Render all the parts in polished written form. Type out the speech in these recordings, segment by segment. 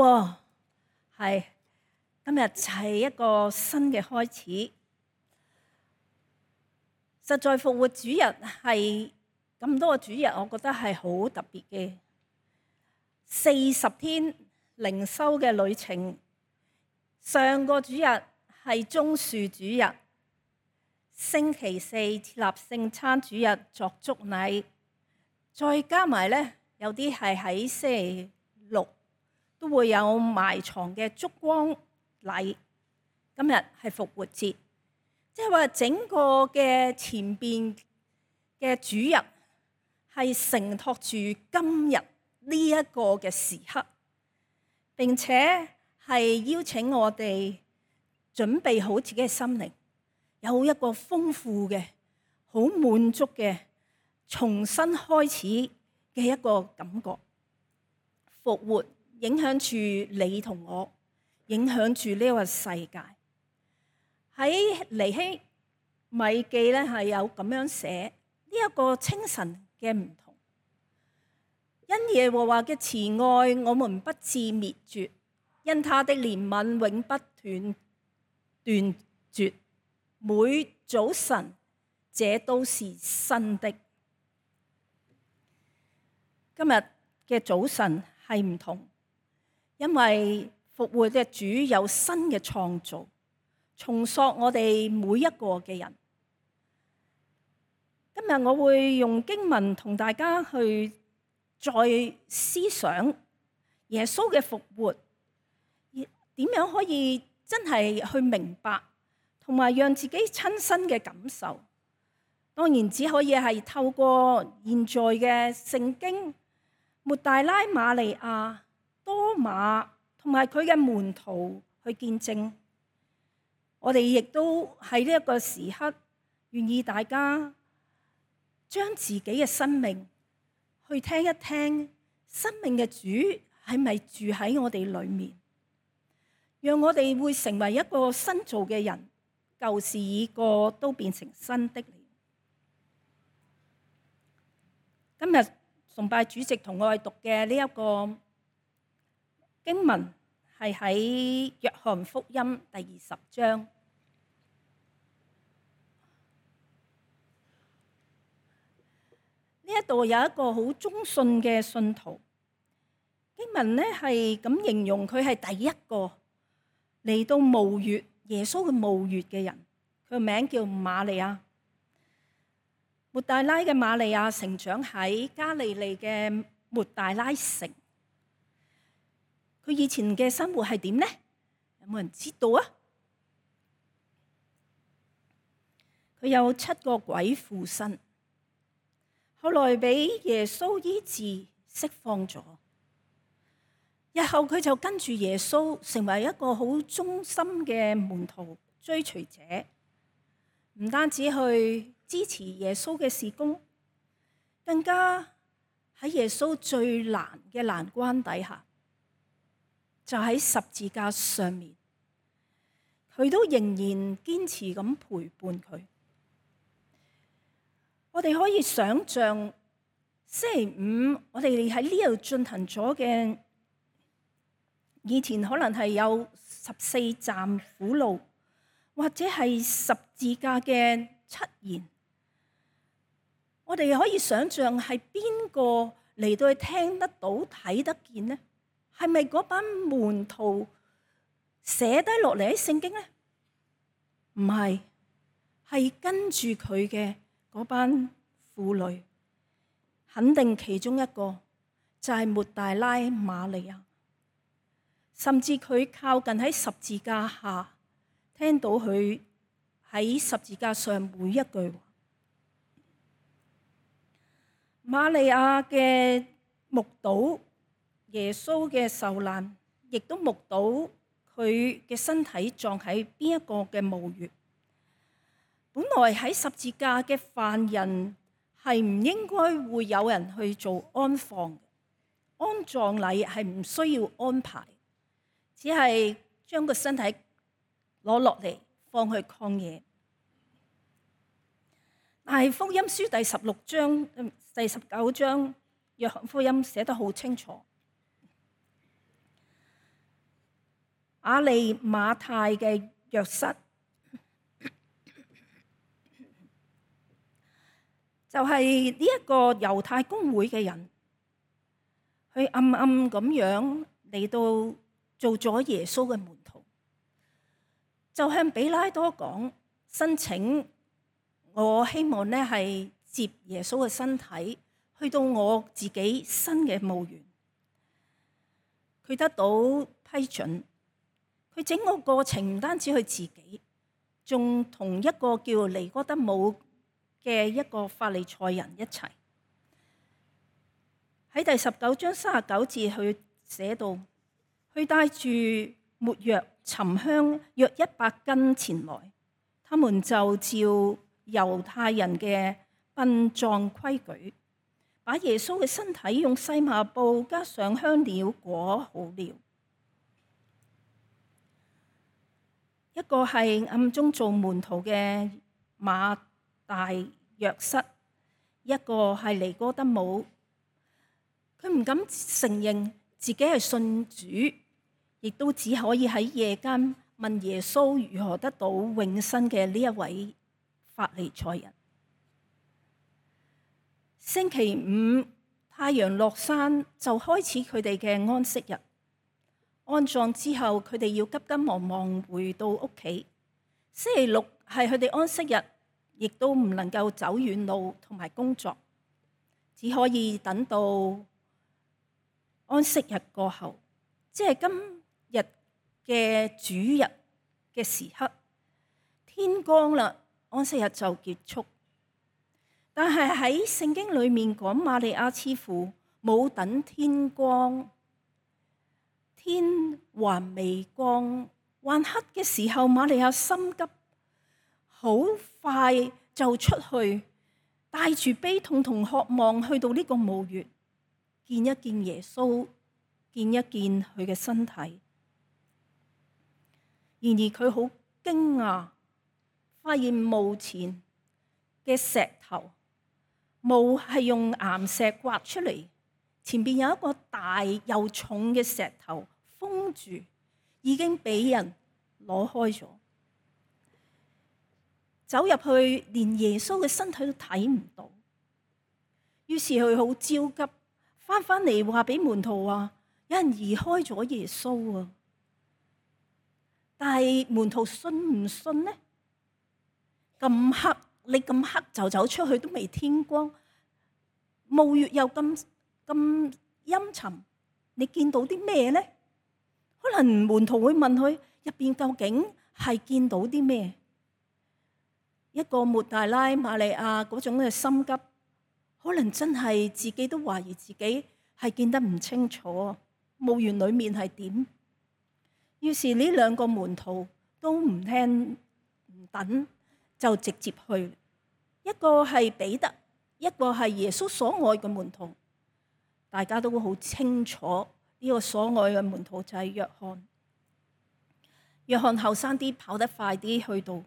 係今日係一個新嘅開始。實在復活主日係咁多個主日，我覺得係好特別嘅。40天靈修嘅旅程，上個主日係棕樹主日，星期四設立聖餐主日作祝禮，再加埋呢，有啲係喺星期六都會有埋藏嘅燭光禮。今日係復活節，即係話整個嘅前邊嘅主日係承托住今日呢一個嘅時刻，並且係邀請我哋準備好自己嘅心靈，有一個豐富嘅、好滿足嘅、重新開始嘅一個感覺。復活影響住你同我，影響住呢個世界。喺尼希米記咧係有咁樣寫呢一個清晨嘅唔同，因耶和華嘅慈愛，我們不致滅絕，因他的憐憫永不斷絕。每早晨，這都是新的。今日嘅早晨係唔同，因為復活嘅主有新嘅創造，重塑我哋每一個嘅人。今日我會用經文同大家去再思想耶穌嘅復活，點樣可以真係去明白，同埋讓自己親身嘅感受。當然只可以係透過現在嘅聖經，抹大拉、瑪利亞、多馬同埋佢嘅門徒去見證。我哋亦都喺呢一個時刻，願意大家將自己嘅生命去聽一聽，生命嘅主係咪住喺我哋裏面，讓我哋會成為一個新造嘅人，舊事已過，都變成新的了。今日崇拜主席同我哋讀嘅呢一個經文係喺約翰福音第20章。呢一度有一個好忠信嘅信徒，經文呢係咁形容佢係第一個嚟到墓穴，耶穌嘅墓穴嘅人。佢個名叫瑪利亞。抹大拉嘅瑪利亞成長喺加利利嘅抹大拉城。佢以前嘅生活係點呢？有冇人知道啊？佢有7個鬼附身，後來俾耶穌醫治釋放咗。日後佢就跟住耶穌成為一個好忠心嘅門徒追隨者，唔單止去支持耶穌嘅事工，更加喺耶穌最難嘅難關底下，就喺十字架上面，佢都仍然堅持咁陪伴佢。我哋可以想象星期五我哋喺呢度進行咗嘅，以前可能係有14站苦路，或者係十字架嘅7言。我哋可以想象係邊個嚟到去聽得到、睇得見呢？係咪嗰班門徒寫低落嚟喺聖經呢？唔係，係跟住佢嘅嗰班婦女，肯定其中一個就係抹大拉瑪利亞。甚至佢靠近喺十字架下，聽到佢喺十字架上每一句話。瑪利亞嘅目睹耶穌嘅受難，亦都目睹佢嘅身體葬喺邊一個嘅墓穴。本來喺十字架嘅犯人係唔應該會有人去做安放，安葬禮係唔需要安排，只係將個身體攞落嚟放去曠野。但係福音書第16章、第19章，約翰福音寫得好清楚。亞利馬太嘅約瑟，就係呢一個猶太公會嘅人，佢暗暗咁樣嚟到做咗耶穌嘅門徒，就向彼拉多講，申請我希望呢係接耶穌嘅身體去到我自己新嘅墓園。佢得到批准，佢整個過程唔單止佢自己，仲同一個叫尼哥底母嘅一個法利賽人一齊。喺第19章39節佢寫到，佢帶住沒藥、沉香約100斤前來，他們就照猶太人嘅殯葬規矩，把耶穌嘅身體用細麻布加上香料裹好了。一個係暗中做門徒嘅馬大約瑟，一個係尼哥底母。佢唔敢承認自己係信主，亦都只可以喺夜間問耶穌如何得到永生嘅呢一位法利賽人。星期五太陽落山就開始佢哋嘅安息日。安葬之後，佢哋要急急忙忙回到屋企。星期六係佢哋安息日，亦都唔能夠走遠路同埋工作，只可以等到安息日過後，即係今日嘅主日嘅時刻，天光啦，安息日就結束。但係喺聖經裏面講，瑪利亞似乎冇等天光，天還未光，還黑嘅時候，瑪利亞心急，好快就出去，帶住悲痛同渴望去到呢個墓穴，見一見耶穌，見一見佢嘅身體。然而佢好驚訝，發現墓前嘅石頭，墓係用岩石刮出嚟，前邊有一個大又重嘅石頭封住，已經俾人攞開咗。走入去，連耶穌嘅身體都睇唔到。於是佢好焦急，翻嚟話俾門徒話，有人移開咗耶穌啊！但係門徒信唔信呢？咁黑，你咁黑就走出去都未天光，墓穴又咁陰沉，你見到啲咩呢？可能門徒會問佢入邊究竟係見到啲咩？一個抹大拉瑪利亞嗰種嘅心急，可能真係自己都懷疑自己係見得唔清楚，墓園裏面係點。於是呢兩個門徒都唔聽唔等，就直接去。一個係彼得，一個係耶穌所愛嘅門徒。大家都好清楚呢個所愛嘅門徒就係約翰。約翰後生啲，跑得快啲去到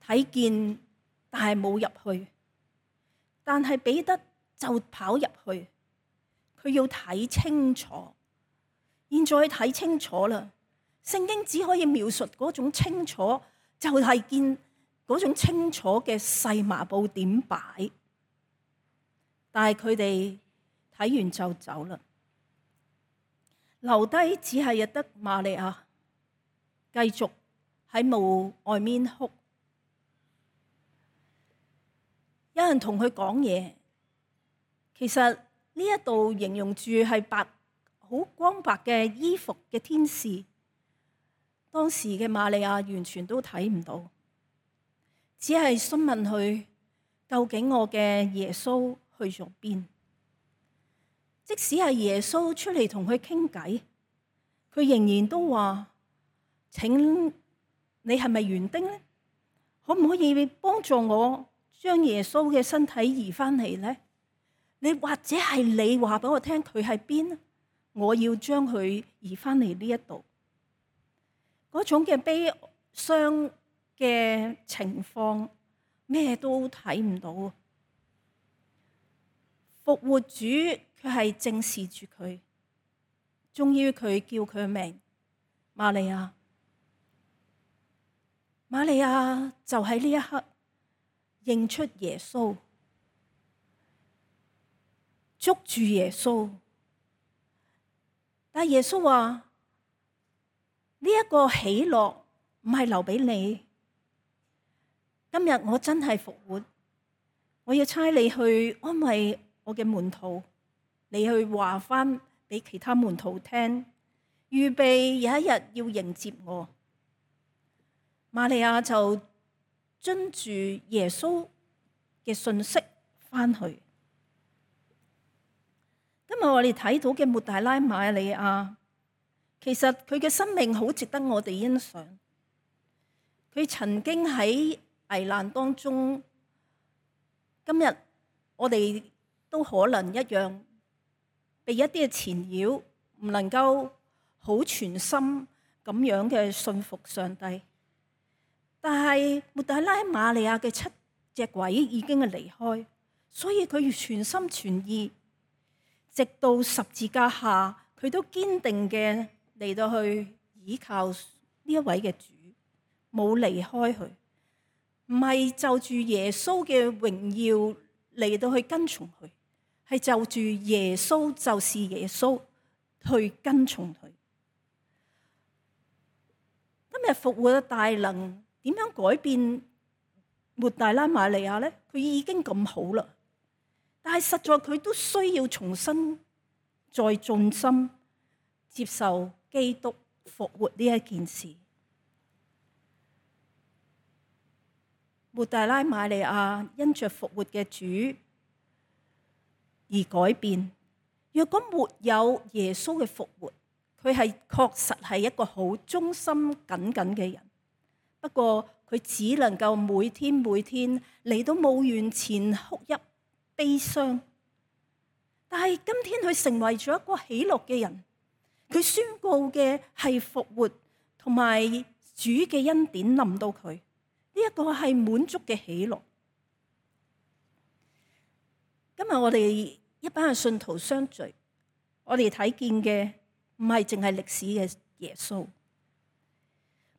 睇見，但係冇入去。但係彼得就跑入去，佢要睇清楚。現在睇清楚啦，聖經只可以描述嗰種清楚，就係見嗰種清楚嘅細麻布點擺。但係佢哋睇完就走啦，留低只係日得瑪利亞繼續喺墓外面哭。有人同佢講嘢，其實呢一度形容住係好光白嘅衣服嘅天使。當時嘅瑪利亞完全都睇唔到，只係詢問佢究竟我嘅耶穌去咗邊。即使係耶穌出嚟同佢傾偈，佢仍然都話：請你係咪園丁呢？可唔可以幫助我將耶穌嘅身體移翻嚟呢？你或者係你話俾我聽佢喺邊？我要將佢移翻嚟呢一度。嗰種嘅悲傷嘅情況，咩都睇唔到。復活主佢係正視住佢，終於佢叫佢名，瑪利亞。瑪利亞就喺呢一刻認出耶穌，捉住耶穌。但耶穌話：呢一個喜樂唔係留俾你。今日我真係復活，我要差你去安慰我嘅門徒，你去話翻俾其他門徒聽，預備有一日要迎接我。瑪利亞就遵住耶穌嘅信息翻去。今日我哋睇到嘅抹大拉瑪利亞，其實佢嘅生命好值得我哋欣賞。佢曾經喺危難當中，今日我哋都可能一樣，被一啲嘅纏繞，唔能夠好全心咁樣嘅信服上帝。但係抹大拉瑪利亞嘅7隻鬼已經係離開，所以佢要全心全意，直到十字架下，佢都堅定嘅嚟到去倚靠呢一位嘅主，冇離開佢，唔係就住耶穌嘅榮耀嚟到去跟從佢，係就住耶穌就是耶穌去跟從佢。今日復活嘅大能點樣改變抹大拉瑪利亞呢？佢已經咁好啦，但係實在佢都需要重新再盡心接受基督復活呢一件事。抹大拉瑪利亞因着復活嘅主而改變。若果沒有耶穌嘅復活，佢係確實係一個好忠心耿耿嘅人。不過佢只能夠每天嚟到墓園前哭泣悲傷。但係今天佢成為咗一個喜樂嘅人，佢宣告嘅係復活同埋主嘅恩典臨到佢，呢一個係滿足嘅喜樂。今日我哋一班嘅信徒相聚，我哋睇見嘅唔係淨係歷史嘅耶穌，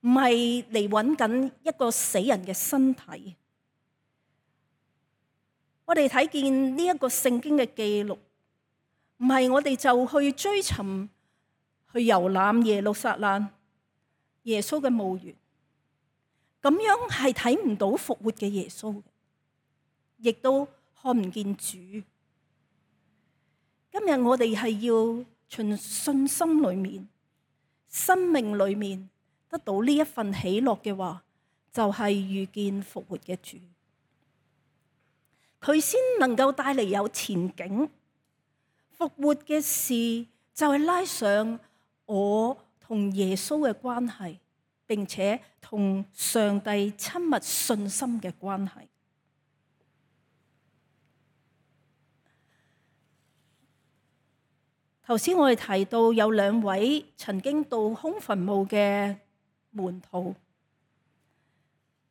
唔係嚟揾緊一個死人嘅身體。我哋睇見呢一個聖經嘅記錄，唔係我哋就去追尋去遊覽耶路撒冷耶穌嘅墓園，咁樣係睇唔到復活嘅耶穌，亦都看唔見主。今日我哋係要從信心裏面、生命裏面得到呢一份喜樂嘅話，就係遇見復活嘅主，佢先能夠帶嚟有前景。復活嘅事就係拉上我同耶穌嘅關係，並且同上帝親密信心嘅關係。頭先我哋提到有2位曾經到空墳墓嘅門徒，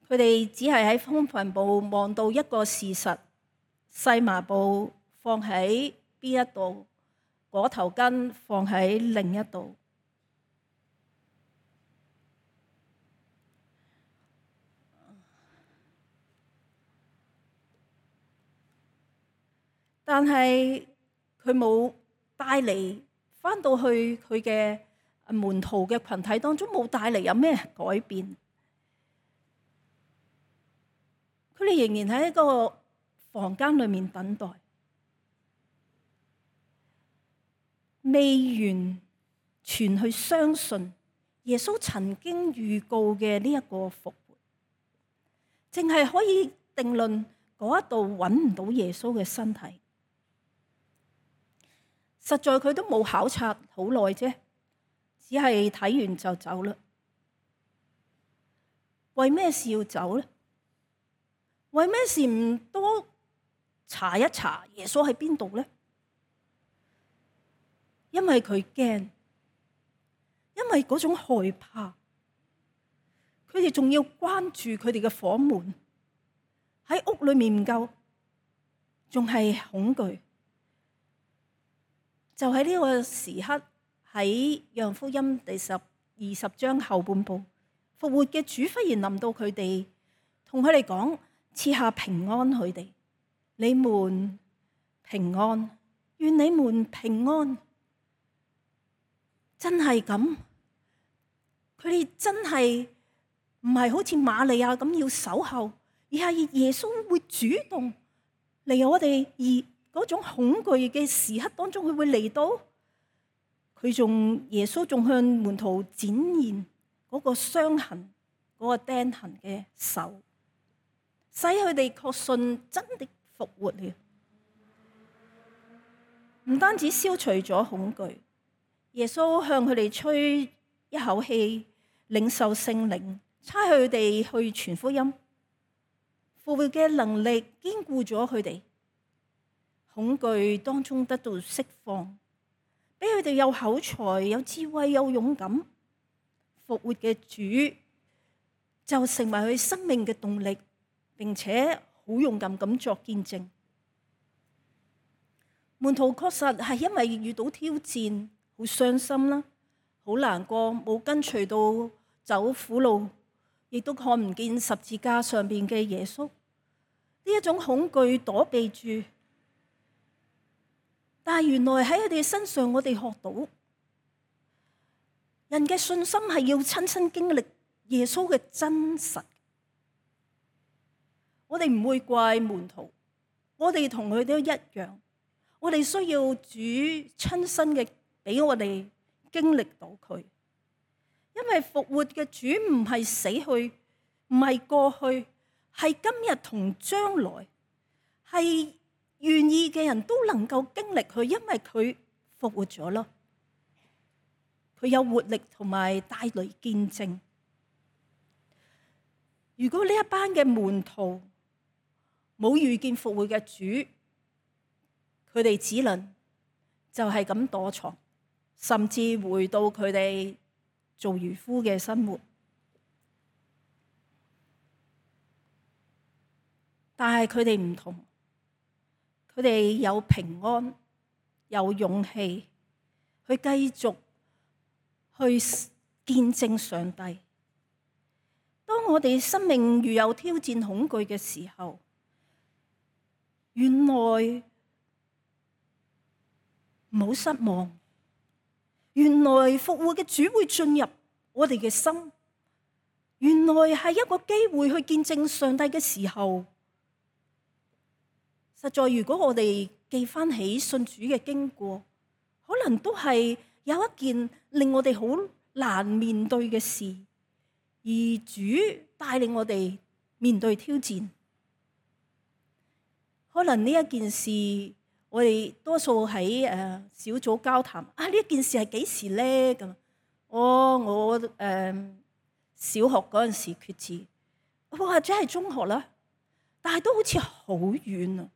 佢哋只係喺空墳墓望到一個事實，細麻布放喺邊一度，裹頭巾放喺另一度。但係佢冇帶嚟返到去佢嘅門徒嘅群體當中，冇帶嚟有咩改變。佢哋仍然喺一個房間裏面等待，未完全去相信耶穌曾經預告嘅呢一個復活，淨係可以定論嗰一度揾唔到耶穌嘅身體。實在佢都冇考察好耐啫，只係睇完就走啦。為咩事要走呢？為咩事唔多查一查耶穌喺邊度呢？因為佢驚，因為嗰種害怕，佢哋仲要關注佢哋嘅房門，喺屋裏面唔夠，仲係恐懼。就喺呢個時刻，喺約翰福音第10 20章後半部，復活嘅主忽然臨到佢哋，同佢哋講，賜下平安佢哋，你們平安，願你們平安。真係咁？佢哋真係唔係好似瑪利亞咁要守候，而係耶穌會主動嚟我哋，而嗰種恐懼嘅時刻當中，佢會嚟到。耶穌仲向門徒展現嗰個傷痕、嗰個釘痕嘅手，使佢哋確信真的復活了。唔單止消除咗恐懼，耶穌向佢哋吹一口氣，領受聖靈，差佢哋去傳福音。復活嘅能力堅固咗佢哋，恐懼當中得到釋放，俾佢哋有口才、有智慧、有勇敢。復活嘅主就成為佢生命嘅動力，並且好勇敢咁作見證。門徒確實係因為遇到挑戰，好傷心啦，好難過，冇跟隨到走苦路，亦都看唔見十字架上邊嘅耶穌。呢一種恐懼躲避住，但係原來喺佢哋身上，我哋學到人嘅信心係要親身經歷耶穌嘅真實。我哋唔會怪門徒，我哋同佢都一樣，我哋需要主親身嘅俾我哋經歷到佢。因為復活嘅主唔係死去，唔係過去，係今日同將來，係願意嘅人都能夠經歷佢，因為佢復活咗咯。佢有活力同埋帶來見證。如果呢一班嘅門徒冇遇見復活嘅主，佢哋只能就係咁躲藏，甚至回到佢哋做漁夫嘅生活。但係佢哋唔同，佢哋有平安，有勇氣去繼續去見證上帝。當我哋生命遇有挑戰、恐懼嘅時候，原來唔好失望，原來復活嘅主會進入我哋嘅心，原來係一個機會去見證上帝嘅時候。實在，如果我哋記翻起信主嘅經過，可能都係有一件令我哋好難面對嘅事，而主帶領我哋面對挑戰。可能呢一件事，我哋多數喺小組交談啊，呢一件事係幾時咧？咁我小學嗰陣時決志，或者係中學啦，但係都好似好遠啊！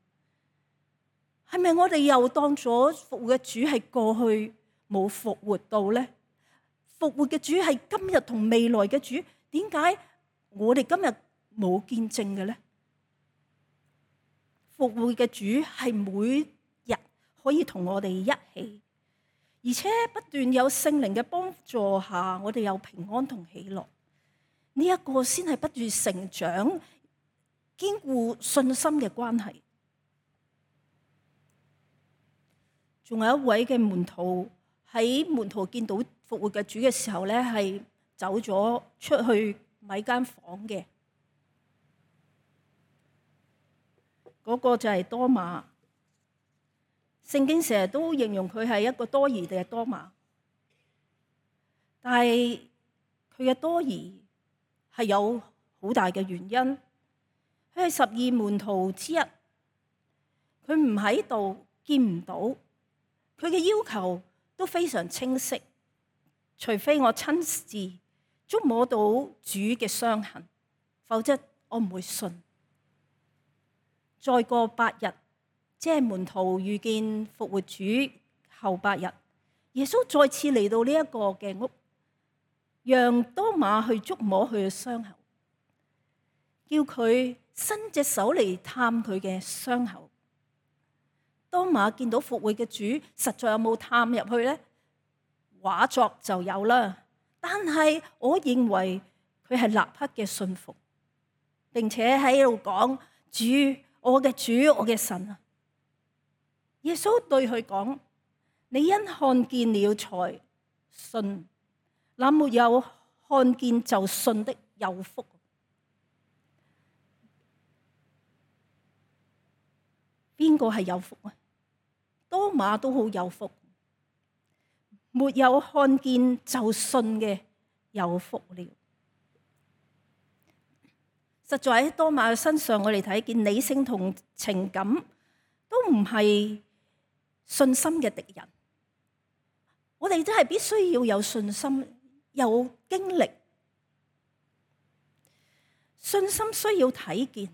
係咪我哋又當咗復活嘅主係過去冇復活到咧？復活嘅主係今日同未來嘅主，點解我哋今日冇見證嘅咧？復活嘅主係每日可以同我哋一起，而且不斷有聖靈嘅幫助下，我哋有平安同喜樂。呢一個先係不斷成長、堅固信心嘅關係。仲有一位嘅門徒，喺門徒見到復活嘅主嘅時候咧，係走咗出去買間房嘅。嗰個就係多馬。聖經成日都形容佢係一個多疑嘅多馬，但係佢嘅多疑係有好大嘅原因。佢係12門徒之一，佢唔喺度，見唔到。佢嘅要求都非常清晰，除非我親自觸摸到主嘅傷痕，否則我唔會信。再過8日，即係門徒遇見復活主後8日，耶穌再次嚟到呢一個嘅屋，讓多馬去觸摸佢嘅傷口，叫佢伸隻手嚟探佢嘅傷口。多馬見到復活嘅主，實在有冇探入去呢？畫作就有啦，但係我認為佢係立刻嘅信服，並且喺度講：主，我嘅主，我嘅神啊！耶穌對佢講：你因看見了才信，那沒有看見就信的有福。邊個係有福啊？多馬都好有福，沒有看見就信嘅有福了。實在喺多馬嘅身上，我哋睇見理性同情感都唔係信心嘅敵人。我哋真係必須要有信心，有經歷。信心需要睇見，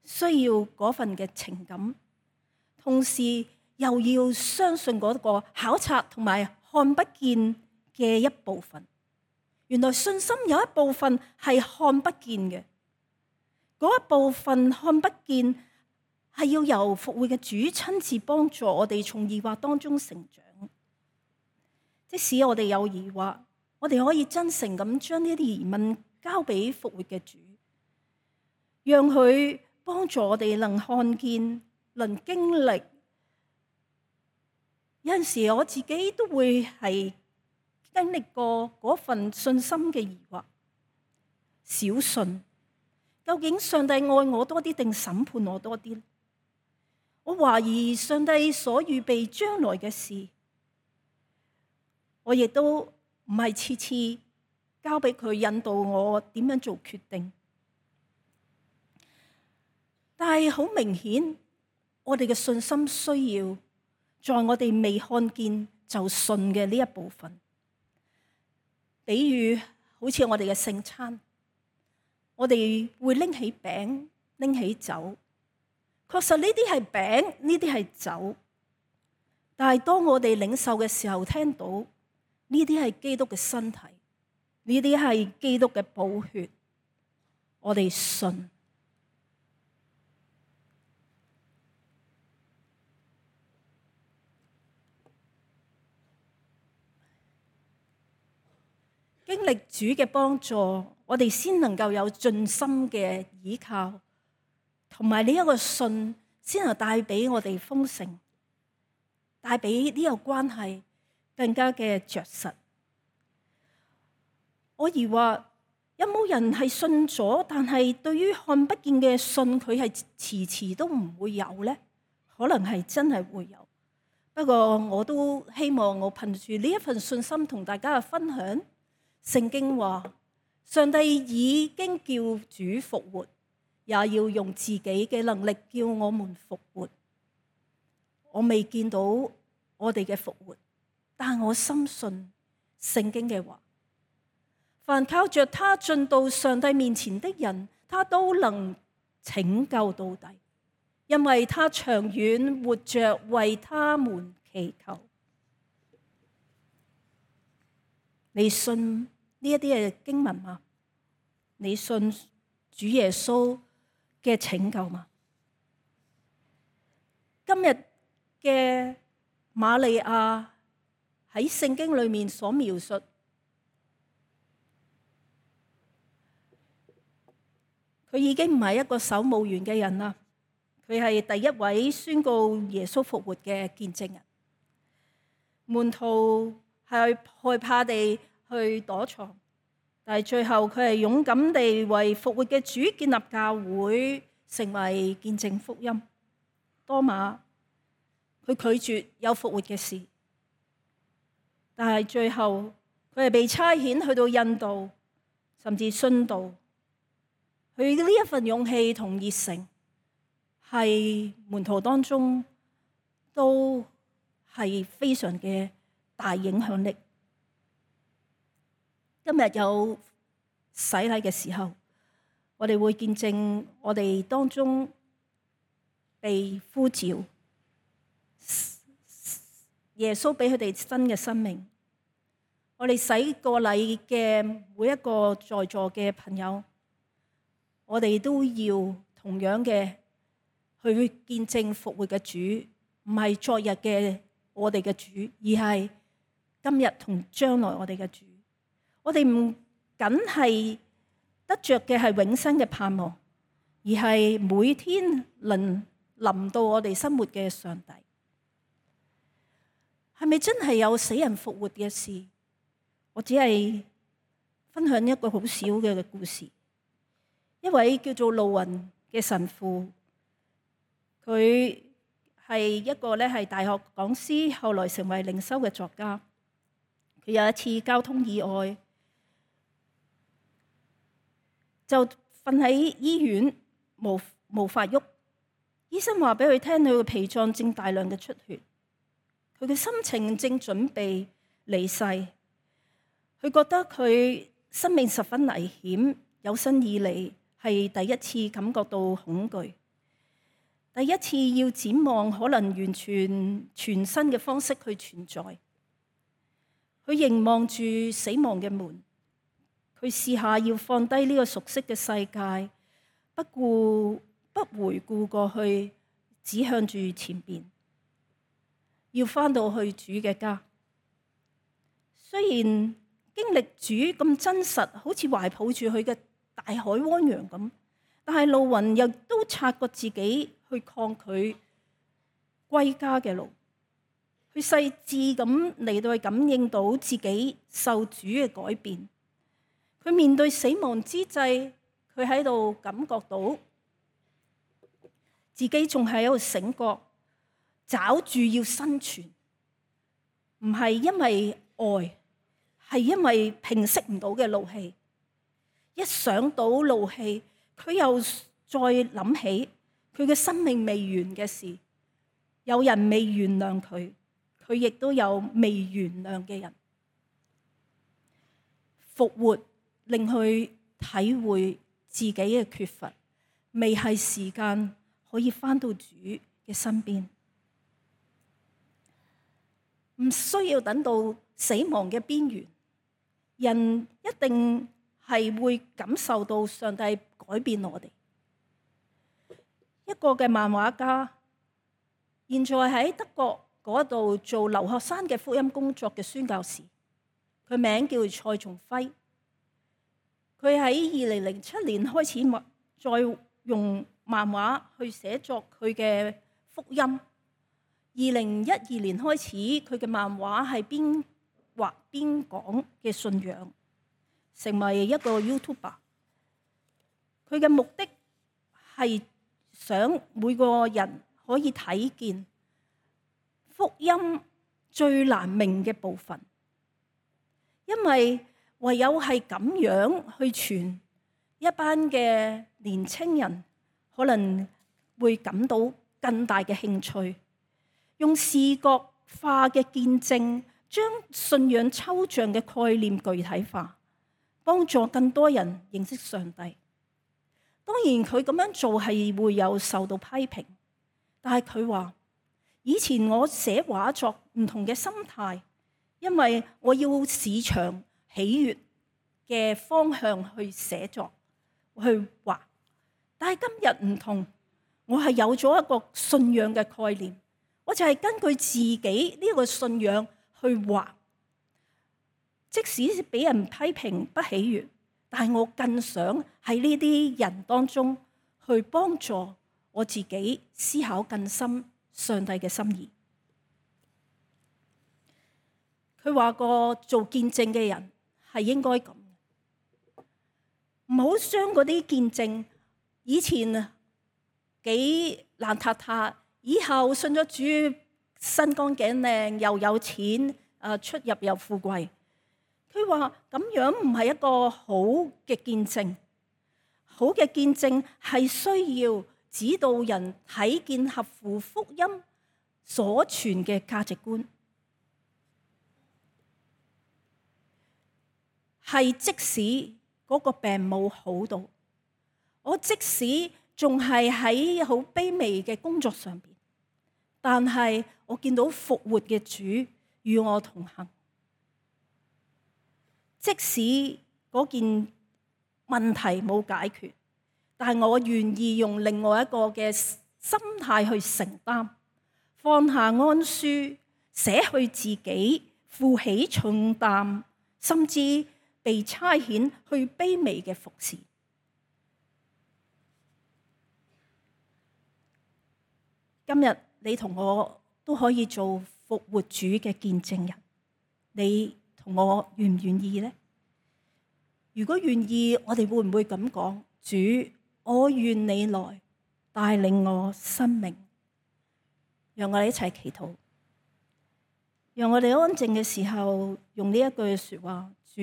需要嗰份嘅情感，同時又要相信嗰個考察同埋看不見嘅一部分。原來信心有一部分係看不見嘅，嗰一部分看不見係要由復活嘅主親自幫助我哋從疑惑當中成長。即使我哋有疑惑，我哋可以真誠咁將呢啲疑問交俾復活嘅主，讓佢幫助我哋能看見，能經歷。有陣時我自己都會係經歷過嗰份信心嘅疑惑，小信。究竟上帝愛我多啲定審判我多啲？我懷疑上帝所預備將來嘅事，我亦都唔係次次交俾佢引導我點樣做決定。但係好明顯，我哋嘅信心需要在我哋未看見就信嘅呢一部分。比如好似我哋嘅聖餐，我哋會拎起餅，拎起酒，確實呢啲係餅，呢啲係酒。但係當我哋領受嘅時候，聽到呢啲係基督嘅身體，呢啲係基督嘅寶血，我哋信。經歷主嘅幫助，我哋先能夠有盡心嘅倚靠，同埋呢一個信，先能帶俾我哋豐盛，帶俾呢個關係更加嘅着實。我疑惑有冇人係信咗，但係對於看不見嘅信，佢係遲遲都唔會有呢？可能係真係會有，不過我都希望我憑住呢一份信心同大家嘅分享。聖經話，上帝已經叫主復活，也要用自己嘅能力叫我們復活。我未見到我哋嘅復活，但我深信聖經嘅話，凡靠着他進到上帝面前的人，他都能拯救到底，因為他長遠活着為他們祈求。你信呢一啲嘅經文嗎？你信主耶穌嘅拯救嗎？今日嘅瑪利亞喺聖經裏面所描述，佢已經唔係一個守墓園嘅人啦，佢係第一位宣告耶穌復活嘅見證人。門徒係害怕地去躲藏，但係最後佢係勇敢地為復活嘅主建立教會，成為見證福音。多馬佢拒絕有復活嘅事，但係最後佢係被差遣去到印度，甚至殉道。佢呢一份勇氣同熱誠，係門徒當中都係非常嘅大影響力。今日有洗禮嘅時候，我哋會見證我哋當中被呼召，耶穌俾佢哋新嘅生命。我哋洗過禮嘅每一個在座嘅朋友，我哋都要同樣嘅去見證復活嘅主，唔係昨日嘅我哋嘅主，而係今日同將來我哋嘅主。我哋唔僅係得着嘅係永生嘅盼望，而係每天能臨到我哋生活嘅上帝。係咪真係有死人復活嘅事？我只係分享一個好小嘅故事。一位叫做路雲嘅神父，佢係一個係大學講師，後來成為靈修嘅作家。佢有一次交通意外，就瞓喺醫院，無法喐。醫生話俾佢聽，佢嘅脾臟正大量嘅出血，佢嘅心情正準備離世。佢覺得佢生命十分危險，有生以嚟係第一次感覺到恐懼，第一次要展望可能完全全新嘅方式去存在。佢凝望住死亡嘅門，佢試下要放低呢個熟悉嘅世界，不回顧過去，指向住前邊，要返到去主嘅家。雖然經歷主咁真實，好似懷抱住佢嘅大海汪洋咁，但係路雲又都察覺自己去抗拒歸家嘅路，佢細緻咁嚟到去感應到自己受主嘅改變。佢面對死亡之際，佢喺度感覺到自己仲係喺度醒覺，找住要生存，唔係因為愛，係因為平息唔到嘅怒氣。一想到怒氣，佢又再諗起佢嘅生命未完嘅事，有人未原諒佢，佢亦都有未原諒嘅人。復活令佢體會自己嘅缺乏，未係時間可以返到主嘅身邊，唔需要等到死亡嘅邊緣，人一定係會感受到上帝改變我哋。一個嘅漫畫家，現在喺德國嗰度做留學生嘅福音工作嘅宣教士，佢名叫蔡松輝。佢喺2007年開始再用漫畫去寫作佢嘅福音。2012年開始，佢嘅漫畫係邊畫邊講嘅信仰，成為一個 YouTuber。佢嘅目的係想每個人可以睇見福音最難明嘅部分，因為唯有係咁樣去傳，一班嘅年青人可能會感到更大嘅興趣，用視覺化嘅見證，將信仰抽象嘅概念具體化，幫助更多人認識上帝。當然佢咁樣做係會有受到批評，但係佢話以前我寫畫作唔同嘅心態，因為我要市場喜悅嘅方向去寫作去畫，但係今日唔同，我係有咗一個信仰嘅概念，我就係根據自己呢個信仰去畫，即使俾人批評不喜悅，但係我更想喺呢啲人當中去幫助我自己思考更深上帝嘅心意。佢話過做見證嘅人係應該咁，唔好將嗰啲見證以前幾爛塌塌，以後信咗主身光頸靚又有錢，出入又富貴。佢話咁樣唔係一個好嘅見證，好嘅見證係需要指導人睇見合乎福音所傳嘅價值觀，係即使嗰個病冇好到，我即使仲係喺好卑微嘅工作上邊，但係我見到復活嘅主與我同行。即使嗰件問題冇解決，但係我願意用另外一個嘅心態去承擔，放下安舒，捨去自己，負起重擔，甚至被差遣去卑微嘅服侍。今日你同我都可以做復活主嘅見證人，你同我願唔願意呢？如果願意，我哋會唔會咁講？主，我願你來帶領我生命。讓我哋一齊祈禱，讓我哋安靜嘅時候用呢一句說話：主，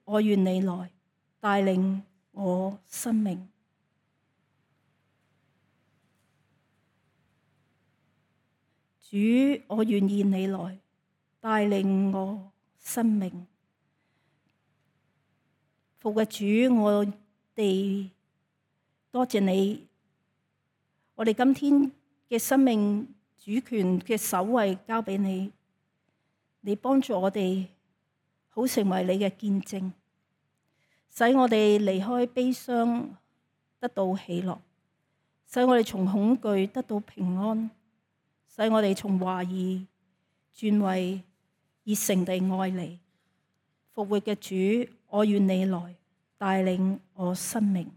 我願你來帶領我生命。主，我願意你來帶領我生命。復活主，我哋多謝你，我哋今天嘅生命主權嘅守衛交俾你，你幫助我哋好成為你嘅見證，使我哋離開悲傷得到喜樂，使我哋從恐懼得到平安，使我哋從懷疑轉為熱誠地愛你。復活嘅主，我願你來帶領我生命。